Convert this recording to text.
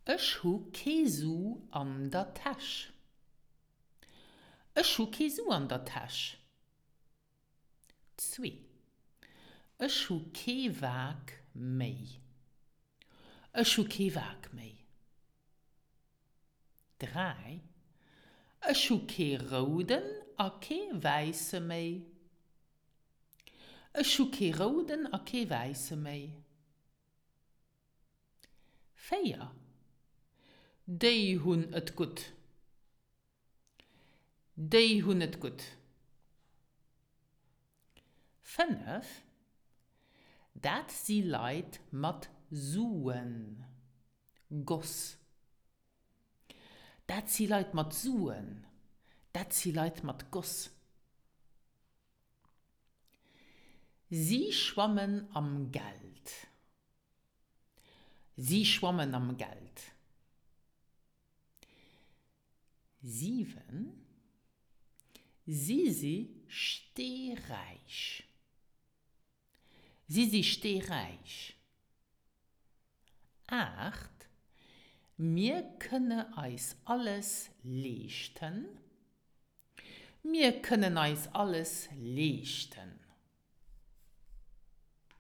Ech hu kee Su an der Täsch. Ech hu kee Su an der Täsch. Zwee. Ech hu kee Waark méi. Ech hu kee Waark méi. 3, Ech hu kee rouden a kee wäisse méi. Ech hu kee rouden a kee wäisse méi. 4, Déi hunn et gutt. Déi hunn et gutt. 5, Dat si Leit mat Suen. Goss. Dat si Leit mat Suen. Dat si Leit mat Goss. Si schwammen am Geld. Si schwammen am Geld. 7, Si si steeräich. Si si steeräich. 8, Mir kënne eis alles leeschten. Mir kënnen eis alles leeschten.